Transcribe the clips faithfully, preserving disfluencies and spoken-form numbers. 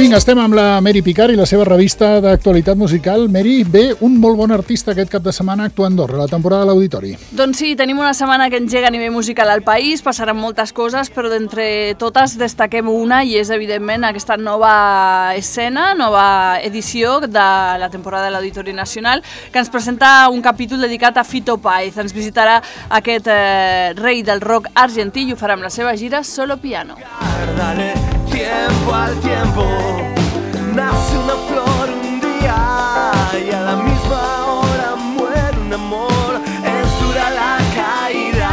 vinga, estem amb la Mary Picard i la seva revista d'actualitat musical. Mary, ve un molt bon artista aquest cap de setmana actuant a Andorra, la temporada de l'Auditori. Doncs sí, tenim una setmana que engega a nivell musical al país, passaran moltes coses, però d'entre totes destaquem una i és, evidentment, aquesta nova escena, nova edició de la temporada de l'Auditori Nacional, que ens presenta un capítol dedicat a Fito Páez. Ens visitarà aquest eh, rei del rock argentí i ho farà amb la seva gira Solo Piano. Dale tiempo al tiempo, nace una flor un día y a la misma hora muere un amor, es dura la caída.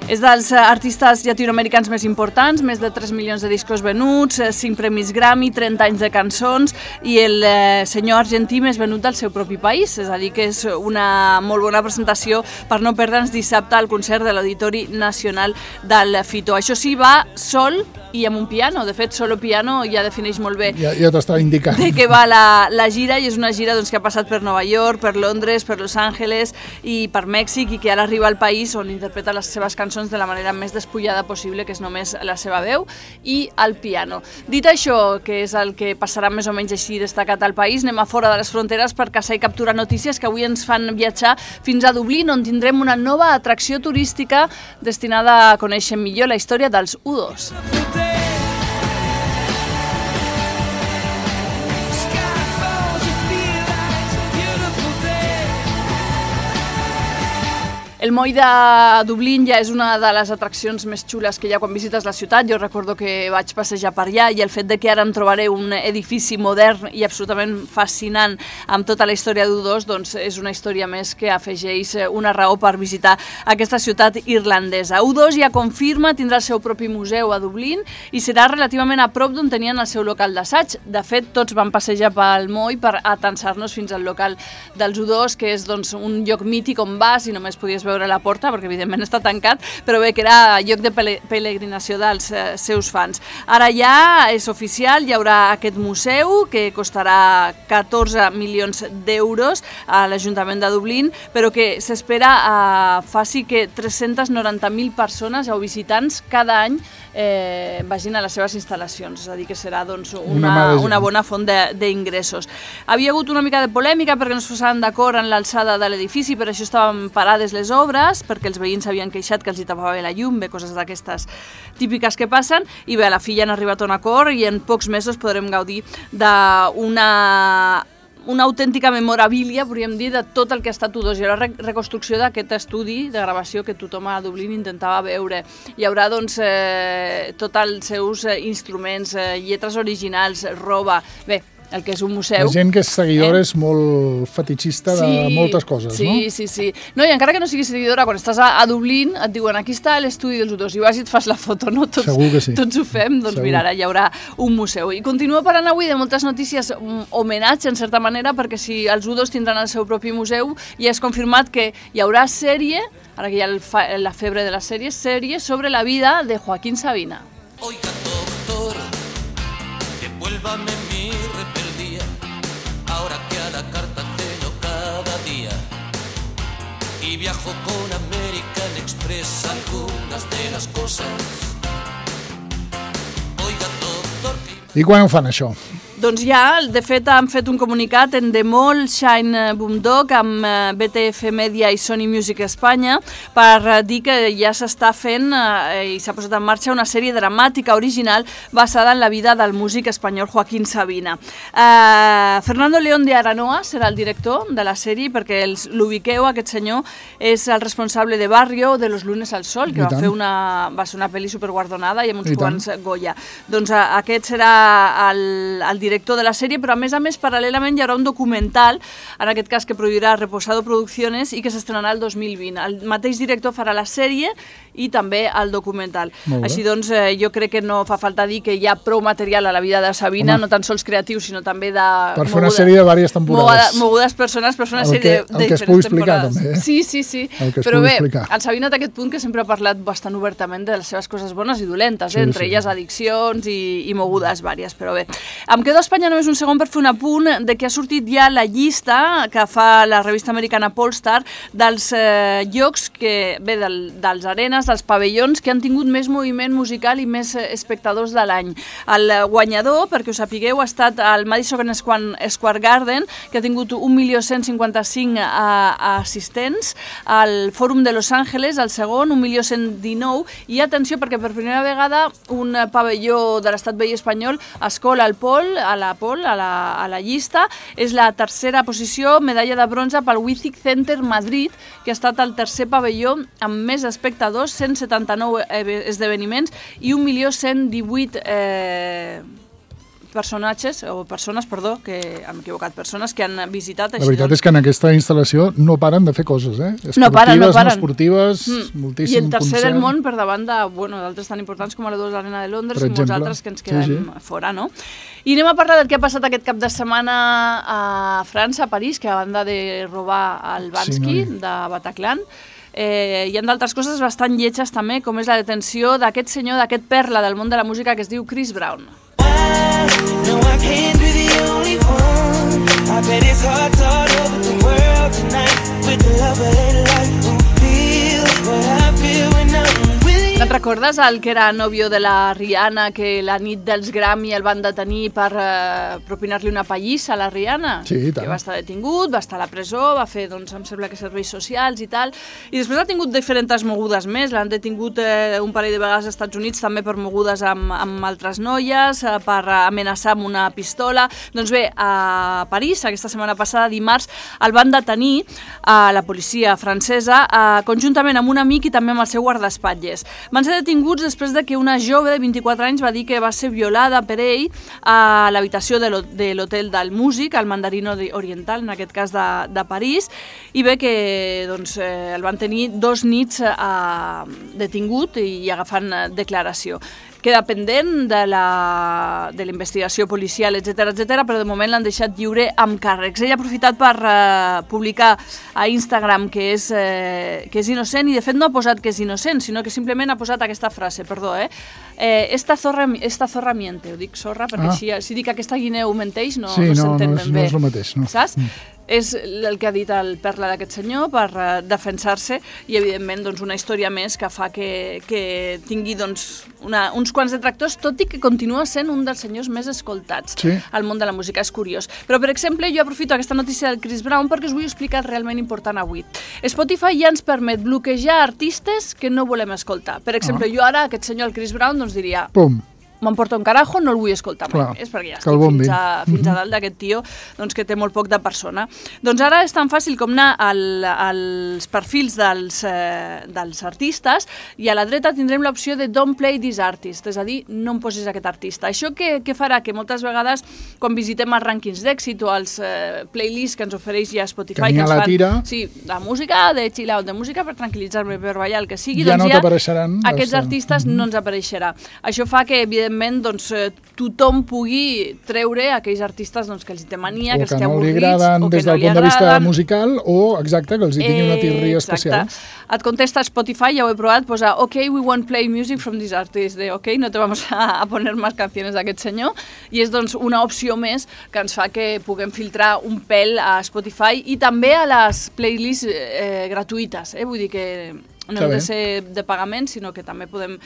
És dels artistes llatinoamericans més importants, més de tres milions de discos venuts, cinc premis Grammy, trenta anys de cançons i el eh, senyor argentí més venut del seu propi país. És a dir, que és una molt bona presentació per no perdre'ns dissabte al concert de l'Auditori Nacional del Fito. Això sí, va sol i amb un piano. De fet, Solo Piano ja defineix molt bé ja, ja t'estava indicant de què va la, la gira, i és una gira doncs, que ha passat per Nova York, per Londres, per Los Angeles i per Mèxic, i que ara arriba al país on interpreta les seves cançons de la manera més despullada possible, que és només la seva veu i el piano. Dit això, que és el que passarà més o menys així destacat al país, anem a fora de les fronteres per caçar i capturar notícies que avui ens fan viatjar fins a Dublín, on tindrem una nova atracció turística destinada a conèixer millor la història dels U dos. El moll de Dublín ja és una de les atraccions més xules que hi ha quan visites la ciutat. Jo recordo que vaig passejar per allà i el fet de que ara em trobaré un edifici modern i absolutament fascinant amb tota la història d'U dos, doncs és una història més que afegeix una raó per visitar aquesta ciutat irlandesa. U dos ja confirma, tindrà el seu propi museu a Dublín i serà relativament a prop d'on tenien el seu local d'assaig. De fet, tots van passejar pel moll per atansar-nos fins al local dels U dos, que és doncs, un lloc mític on vas i només podies veure la porta, perquè evidentment està tancat, però bé que era lloc de peregrinació dels eh, seus fans. Ara ja és oficial, hi haurà aquest museu que costarà catorze milions d'euros a l'Ajuntament de Dublín, però que s'espera eh, faci que tres-centes noranta mil persones o visitants cada any eh, vagin a les seves instal·lacions, és a dir, que serà doncs, una, una, una bona font d'ingressos. Havia hagut una mica de polèmica perquè no es posaven d'acord en l'alçada de l'edifici, per això estaven parades les obres, perquè els veïns s'havien queixat que els hi tapava bé la llum, bé, coses d'aquestes típiques que passen, i bé, a la fi ja han arribat a un acord i en pocs mesos podrem gaudir d'una una autèntica memorabilia, podríem dir, de tot el que ha estat U dos. Hi haurà reconstrucció d'aquest estudi de gravació que tothom a Dublín intentava veure. Hi haurà, doncs, eh, tots els seus instruments, eh, lletres originals, roba... Bé, el que és un museu. La gent que és seguidora eh? és molt fetichista de sí, moltes coses, sí, no? Sí, sí, sí. No, i encara que no siguis seguidora, quan estàs a, a Dublín et diuen aquí està l'estudi dels U dos i vas i et fas la foto, no? Tots, Segur que sí. Tots ho fem, doncs Segur. Mira, ara hi haurà un museu. I continua parlant avui de moltes notícies, um, homenatge en certa manera, perquè si els U dos tindran el seu propi museu, ja és confirmat que hi haurà sèrie, ara que hi ha el fa, la febre de les sèries, sèrie sobre la vida de Joaquín Sabina. Oiga, doctor, devuélvame mi rebeldía, ahora que a la carta ceno cada día y viajo con American Express algunas de las cosas. Oiga, doctor, que... I quan ho fan, això? Doncs ja, de fet, han fet un comunicat en Demol, Shine Boomdog, amb B T F Media i Sony Music Espanya, per dir que ja s'està fent eh, i s'ha posat en marxa una sèrie dramàtica original basada en la vida del músic espanyol Joaquín Sabina. Eh, Fernando León de Aranoa serà el director de la sèrie, perquè l'ubiqueu, aquest senyor, és el responsable de Barrio, de Los lunes al sol, que va fer una, va ser una pel·li superguardonada i amb uns quants Goya. Doncs eh, aquest serà el, el director de la sèrie, però a més a més, paral·lelament hi haurà un documental, en aquest cas que produirà Reposado Producciones i que s'estrenarà el dos mil vint. El mateix director farà la sèrie i també el documental. Així doncs, eh, jo crec que no fa falta dir que hi ha prou material a la vida de Sabina, Home. no tan sols creatiu, sinó també de... Per fer una sèrie de diverses temporades. Mogudes persones per fer una el sèrie que, de, de el que diferents explicar, temporades. també, eh? Sí, sí, sí. Però bé, explicar. En Sabina té aquest punt que sempre ha parlat bastant obertament de les seves coses bones i dolentes, eh? sí, entre sí. elles addiccions i, i mogudes vàries, però bé. Em quedo quedo a Espanya només un segon per fer un apunt de que ha sortit ja la llista que fa la revista americana Polestar dels eh, llocs que, bé, del, dels arenes, dels pavellons que han tingut més moviment musical i més espectadors de l'any. El guanyador, perquè us sapigueu, ha estat el Madison Square Garden, que ha tingut un milió cent cinquanta-cinc assistents, el Fòrum de Los Angeles, el segon, un milió cent dinou, i atenció, perquè per primera vegada un pavelló de l'estat veí espanyol escola al pol, a la pol, a la, a la llista, és la tercera posició, medalla de bronze pel Withic Center Madrid, que ha estat el tercer pavelló amb més espectadors, cent setanta-nou esdeveniments i un milió cent divuit eh, personatges, o persones, perdó, que hem equivocat, persones que han visitat. La veritat és que en aquesta instal·lació no paren de fer coses, eh? Esportives, no paren, no paren. No esportives, mm. moltíssim I el tercer concert. del món per davant de, bueno, d'altres tan importants com la dos Arena de Londres i molts altres que ens quedem sí, sí. fora, no? I anem a parlar del que ha passat aquest cap de setmana a França, a París, que a banda de robar el Bansky sí, no? de Bataclan, Eh, hi ha d'altres coses bastant lletges també, com és la detenció d'aquest senyor, d'aquest perla del món de la música que es diu Chris Brown. No, I can't be the only one. I bet it's hard to start over the world tonight with the love of their life who feels what I feel when I'm with you. Te'n recordes el que era nòvio de la Rihanna, que la nit dels Grammy el van detenir per eh, propinar-li una pallissa a la Rihanna? Sí, i tant. Que va estar detingut, va estar a la presó, va fer, doncs, em sembla que serveis socials i tal. I després ha tingut diferents mogudes més. L'han detingut eh, un parell de vegades als Estats Units també per mogudes amb, amb altres noies, eh, per amenaçar amb una pistola. Doncs bé, a París, aquesta setmana passada, dimarts, el van detenir a la policia francesa, eh, conjuntament amb un amic i també amb el seu guardaespatlles. Van ser detinguts després de que una jove de vint-i-quatre anys va dir que va ser violada per ell a l'habitació de l'hotel del músic, al Mandarino Oriental, en aquest cas de, de París, i bé que doncs, eh, el van tenir dos nits eh, detingut i agafant declaració. Queda pendent de la de la investigació policial, etcètera, etcètera, però de moment l'han deixat lliure amb càrrecs. Ell ha aprofitat per uh, publicar a Instagram que és, eh, que és innocent, i de fet no ha posat que és innocent, sinó que simplement ha posat aquesta frase, perdó, eh? eh esta, zorra, esta zorra miente, ho dic zorra perquè ah. així, si dic aquesta guineu menteix no, sí, no, no s'entén no ben és, bé. No és el mateix, no. Saps? Mm. És el que ha dit el perla d'aquest senyor per uh, defensar-se, i evidentment doncs, una història més que fa que, que tingui doncs, una, uns quants detractors, tot i que continua sent un dels senyors més escoltats sí. al món de la música. És curiós. Però, per exemple, jo aprofito aquesta notícia del Chris Brown perquè us vull explicar realment important avui. Spotify ja ens permet bloquejar artistes que no volem escoltar. Per exemple, ah. jo ara, aquest senyor, el Chris Brown, doncs diria... Pum! M'emporta un carajo, no el vull escoltar mai més, perquè ja estic fins a, fins a dalt d'aquest tio doncs, que té molt poc de persona. Doncs ara és tan fàcil com anar al, als perfils dels, eh, dels artistes, i a la dreta tindrem l'opció de Don't Play This Artist, és a dir, no em posis aquest artista. Això què, què farà? Que moltes vegades, quan visitem els rànquings d'èxit o els eh, playlists que ens ofereix ja Spotify, que, que ens fan tira. Sí, la música, de chill out, de música per tranquil·litzar-me, per ballar, el que sigui, ja doncs no ja t'apareixeran aquests els... artistes mm-hmm. no ens apareixerà. Això fa que, evidentment, doncs, tothom pugui treure aquells artistes doncs, que els té mania, o que els té no avorrits, agraden, o que des no del li punt de vista agraden. musical, o, exacte, que els hi tingui una tirria especial. Et contesta Spotify, ja ho he provat, posa OK, we won't play music from this artist, de OK, no te vamos a, a poner más canciones d'aquest senyor, i és doncs una opció més que ens fa que puguem filtrar un pèl a Spotify i també a les playlists eh, gratuïtes, eh? Vull dir que no hem de ser de pagament, sinó que també podem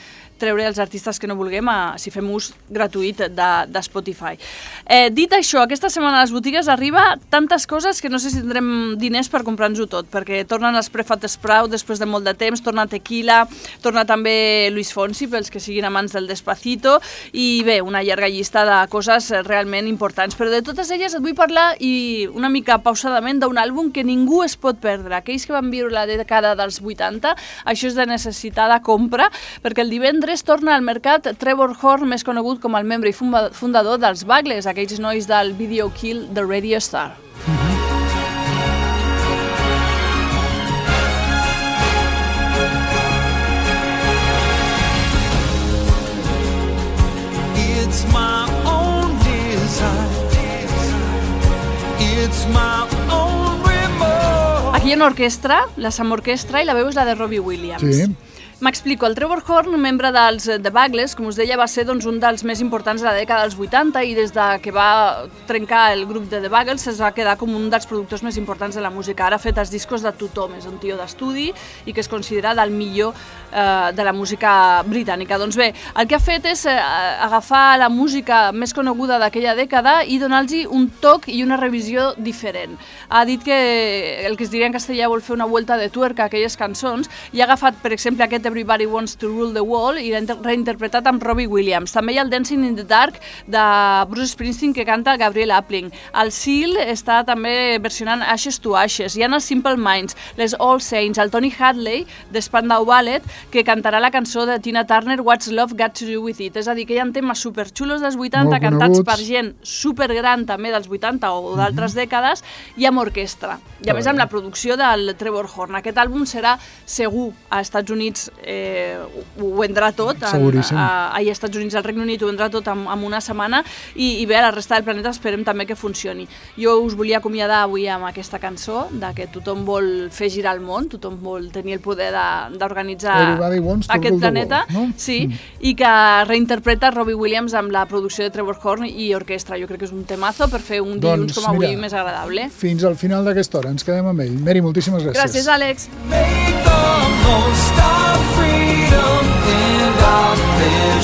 treure els artistes que no vulguem a, si fem ús gratuït de, de Spotify. Eh, dit això, aquesta setmana a les botigues arriba tantes coses que no sé si tindrem diners per comprar-nos-ho tot, perquè tornen els Prefat Sprout després de molt de temps, torna Tequila, torna també Luis Fonsi, pels que siguin amants del Despacito, i bé, una llarga llista de coses realment importants. Però de totes elles et vull parlar, i una mica pausadament, d'un àlbum que ningú es pot perdre. Aquells que van viure la dècada dels vuitanta, això és de necessitada compra, perquè el divendres torna al mercat Trevor Horn, més conegut com el membre i fundador dels Buggles, aquells nois del Video Kill the Radio Star. It's my own desire. It's my own remorse. Aquí hi ha una orquestra, la Sam Orquestra, i la veu és la de Robbie Williams. Sí. M'explico, el Trevor Horn, membre dels The Buggles, com us deia, va ser doncs, un dels més importants de la dècada dels vuitanta i des de que va trencar el grup de The Buggles es va quedar com un dels productors més importants de la música. Ara ha fet els discos de tothom, és un tio d'estudi i que es considera del millor eh, de la música britànica. Doncs bé, el que ha fet és eh, agafar la música més coneguda d'aquella dècada i donar-los un toc i una revisió diferent. Ha dit que el que es diria en castellà vol fer una vuelta de tuerca a aquelles cançons i ha agafat, per exemple, aquest Everybody Wants to Rule the World i l'ha reinterpretat amb Robbie Williams. També hi ha el Dancing in the Dark de Bruce Springsteen que canta Gabriel Appling. El Seal està també versionant Ashes to Ashes. Hi ha els Simple Minds, les All Saints, el Tony Hadley de Spandau Ballet que cantarà la cançó de Tina Turner What's Love Got to Do With It. És a dir, que hi ha temes superxulos dels vuitanta cantats per gent supergran també dels vuitanta o d'altres mm-hmm. dècades i amb orquestra. I a més amb la producció del Trevor Horn. Aquest àlbum serà segur a Estats Units eh, ho vendrà tot, en, a, a, als Estats Units, al Regne Unit ho vendrà tot en, en una setmana i, i bé, a la resta del planeta esperem també que funcioni. Jo us volia acomiadar avui amb aquesta cançó de que tothom vol fer girar el món, tothom vol tenir el poder d'organitzar aquest planeta, world, no? Sí, mm. i que reinterpreta Robbie Williams amb la producció de Trevor Horn i orquestra. Jo crec que és un temazo per fer un dilluns doncs, com avui mira, més agradable. Fins al final d'aquesta hora ens quedem amb ell. Mary, moltíssimes gràcies. Gràcies, Àlex. Make the most of freedom in our vision.